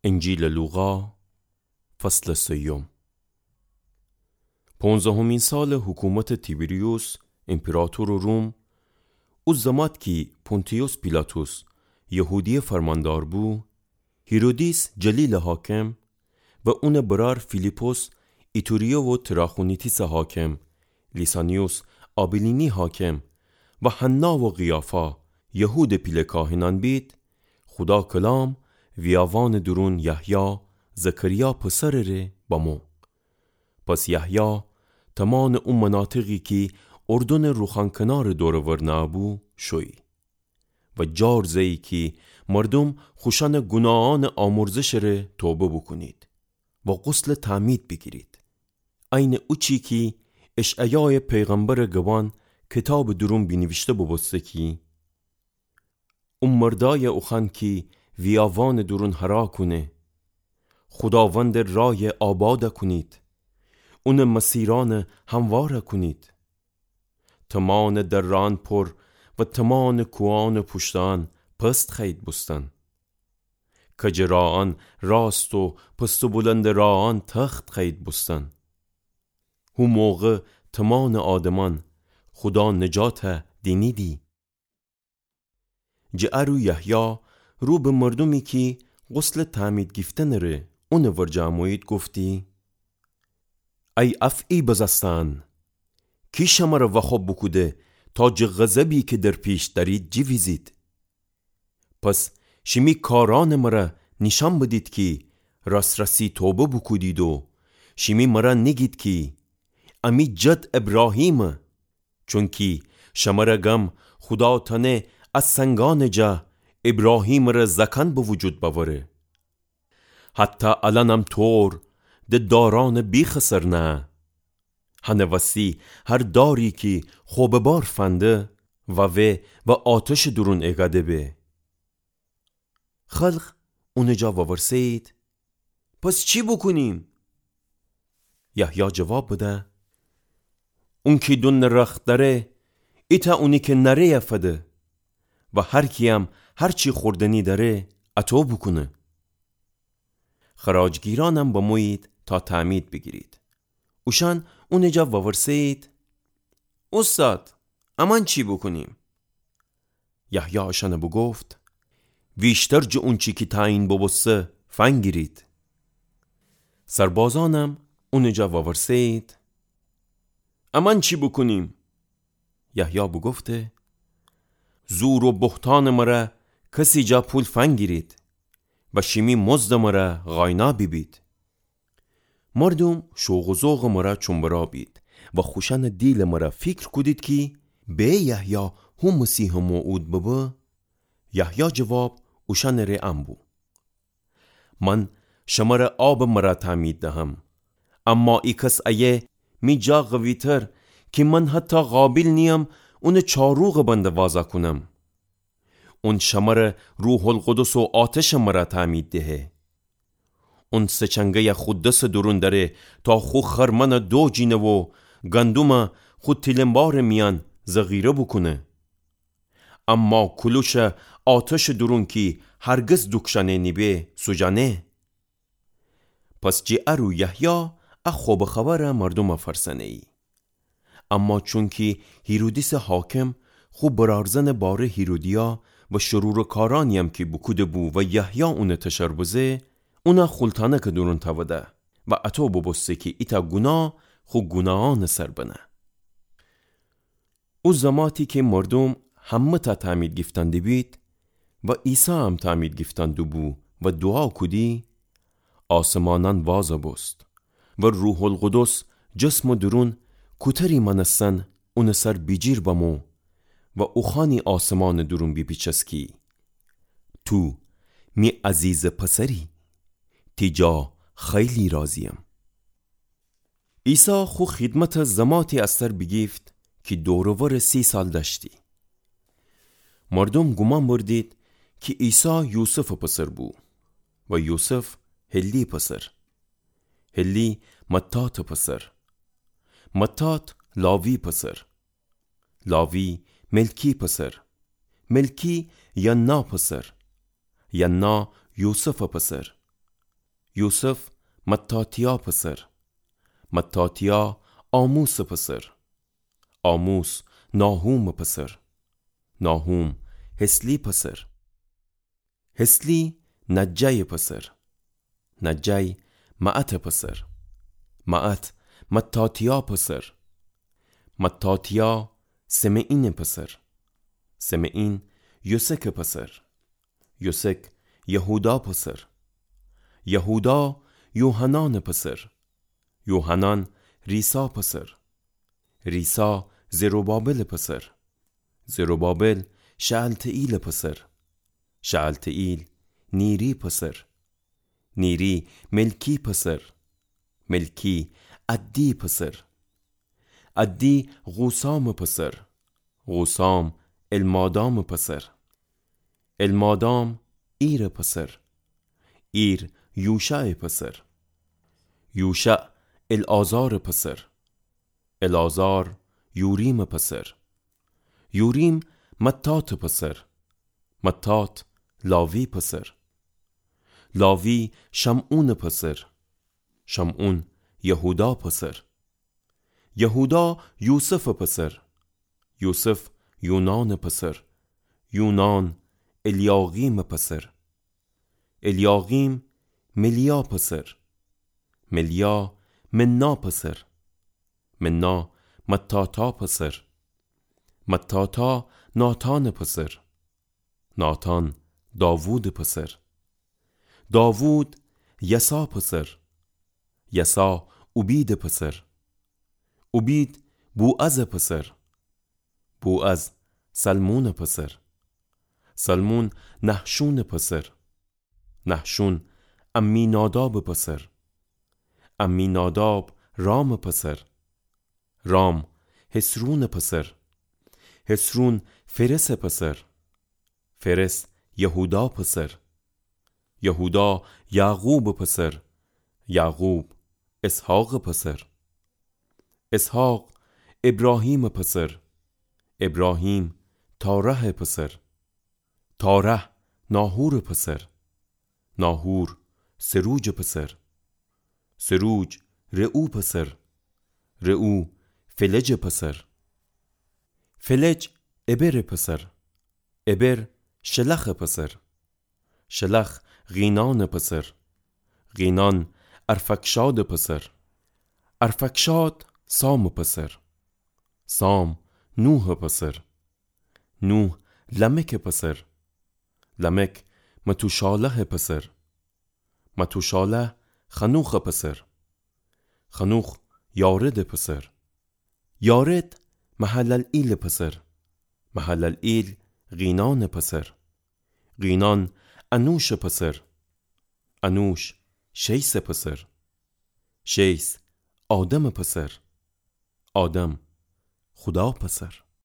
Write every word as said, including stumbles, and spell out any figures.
انجیلٚ لوقا، فصلٚ سیوم. پونزدهمین سالٚ حکومتٚ تیبریوس، ایمپراطورٚ روم، او زمات کی پونتیوس پیلاطس یهودیه فرماندار بو، هیرودیس جلیلٚ حاکم و اونٚ برار فیلیپس ایتوریه و تراخونیتیسٚ حاکم، لیسانیوس آبیلینی حاکم و حنا و قیافا یهودٚ پیله کاهنأن بید، خودا کلام ویاوانٚ دورون یحیی، زکریا پسرٚ ره بمو. پس یحیی تومانٚ او مناطقی کی اردنٚ روخان کنارٚ دور و ور نهه‌بو شویی و جار زه‌یی کی مردوم خوشأنٚ گوناهأنٚ آمرزشٚ ره توبه بوکونید و غسلٚ تعمید بیگیرید، عینٚ اوچی کی اشعیایٚ پیغمبرٚ گبان کیتابٚ دورون بینیویشته بوبوسته کی او مردایٚ اوخوأن کی ویاوانٚ دورون هرا کونه، خوداوندٚ رایَ آباد کونید، اونٚ مسیرأنَ هموار کونید. تمانٚ دره‌أن پور و تمانٚ کوهأنٚ پوشته‌أن پست خوأیید بوستن. کجٚ راهأن راست و پست و بلندٚ راهأن تخت خوأیید بوستن. هو موقع تمانٚ آدمأن خودا نجاتَ دینیدی. جٚه ا رو یحیی رو به مردومی کی غسلٚ تعمید گیفتنٚ ره اونٚ ورجه امویید گفتی: ای افعی بزسته‌أن، کی شمره وخوب بوکوده تا جٚه غضبی کی در پیش دأرید جیویزید؟ پس شیمی کارأنٚ مره نیشأن بدید کی راس‌راسی توبه بوکودید و شیمی مره نیگید کی امی جد ابراهیمه. چونکی شمره گم خودا تأنه ا سنگأنٚ جا ابراهیمٚ ره زأکأن به وجود بأوره. حتی الأنم طور د دارأنٚ بیخٚ سر نهه. هنٚ وستی هر داری کی خو به بار فنده ووه و آتشٚ دورون ایگده به. خلق اونٚ جا وورسه‌یید: پس چی بوکونیم؟ یحیی جواب بده: اونکی دونٚ رخت دأره، ایتأ اونی کی نأره‌یَ فده و هر کییم هر چی خوردنی دأره، اطو بوکونه. خراجگیرأنم بمویید تا تعمید بیگیرید. اوشأن اونٚ جا وورسه‌یید: اوستاد، امأن چی بوکونیم؟ یحیی اشأنَ بوگفت: ویشتر جٚه اونچی کی تعیین بوبوسته فنگیرید. سربازأنم اونٚ جا وورسه‌یید: امأن چی بوکونیم؟ یحیی بوگفته: زور و بهتانٚ مره کسی جا پول فنگیرید و شیمی مزدٚ مره قاینا بیبید. مردوم شوق و ذوقٚ مره چوم‌برا بید و خوشأنٚ دیلٚ مره فیکر کودید کی به یحیی هو مسیحٚ موعود ببه؟ یحیی جواب اوشأنٚ ره ان بو: من شمره آبٚ مره تعمید دهم، اما ای کس ایه می جا قوی‌تر کی من حتی قابل نییم اونٚ چاروقٚ بنده وازا کونم. اون شمره روح‌القدس و آتشٚ مره تعمید دهه. اون سه چنگه‌یَ خو دسٚ دورون دأره تا خو خرمنَ دوجینه و گندمَ خو تیلنبارٚ میأن ذخیره بوکونه. اما کولوشَ آتشٚ دورون کی هرگز دوکشأنه نیبه سوجأنه. پس جٚه ا رو یحیی ا خوبٚ خبرَ مردومَ فرسنه‌یی. اما چونکی هیرودیسٚ حاکم خو برارزنٚ باره هیرودیا و شرورٚ کارأنی‌یم کی بوکوده‌بو و یحیی اونٚ تشر بزه، اونَ خولتأنکٚ دورون تأوده و اطو بوبوسته کی ایتأ گوناه خو گوناهأنٚ سر بنه. او زماتی کی مردوم همه‌تأ تعمید گیفتن دیبید و عیسی‌یم تعمید گیفتن دوبو و دوعا کودی، آسمانأن وازَ بوست و روح‌القدس جسمٚ دورون کوتری مأنستن اونٚ سر بیجیر بمو و اوخوأنی آسمانٚ دورون بیپیچست کی تو می عزیزٚ پسری، تی جا خیلی راضی‌یم. عیسی خو خیدمتَ زماتی از سر بیگیفت کی دور و ورٚ سی سال دأشتی. مردوم گومان بردید کی عیسی یوسفٚ پسر بو و یوسف هلی پسر، هلی متاتٚ پسر، متات لاوی پسر، لاوی ملکی پسر، ملکی ینا پسر، ینا یوسفٚ پسر، یوسف متاتیا پسر، متاتیا آموس پسر، آموس ناهوم پسر، ناهوم حسلی پسر، حسلی نجای پسر، نجای معت پسر، معت متاتیا پسر، متاتیا سمعین پسر، سمعین یوسک پسر، یوسک یهودا پسر، یهودا یوحنان پسر، یوحنان ریسا پسر، ریسا زروبابل پسر، زروبابل شعلتیل پسر، شعلتیل نیری پسر، نیری ملکی پسر، ملکی عدی پسر، عدی غوسام پسر، غوسام المادام پسر، المادام ایر پسر، ایر یوشع پسر، یوشع العازار پسر، العازار یوریم پسر، یوریم متات پسر، متات لاوی پسر، لاوی شمعون پسر، شمعون یهودا پسر، یهودا یوسف پسر، یوسف یونان پسر، یونان الیاقیم پسر، الیاقیم ملیا پسر، ملیا منا پسر، منا متاتا پسر، متاتا ناتان پسر، ناتان داوود پسر، داوود یسا پسر، یسا اوبید پسر، اوبید بوعز پسر، بوعز سلمون پسر، سلمون نحشون پسر، نحشون امیناداب پسر، امیناداب رام پسر، رام حسرون پسر، حسرون فرس پسر، فرس یهودا پسر، یهودا یعقوب پسر، یعقوب اسحاق پسر، اسحاق ابراهیم پسر، ابراهیم تارح پسر، تارح ناحور پسر، ناحور سروج پسر، سروج رعو پسر، رعو فلج پسر، فلج ابر پسر، ابر شلخ پسر، شلخ قینان پسر، قینان ارفکشاد پسر، ارفکشاد سام پسر، سام نوح پسر، نوح لمک پسر، لمک متوشالح پسر، متوشالح خنوخ پسر، خنوخ یارد پسر، یارد مهللئیل پسر، مهللئیل قینان پسر، قینان انوش پسر، انوش شیث پسر، شیث آدم پسر، آدم خودا پسر.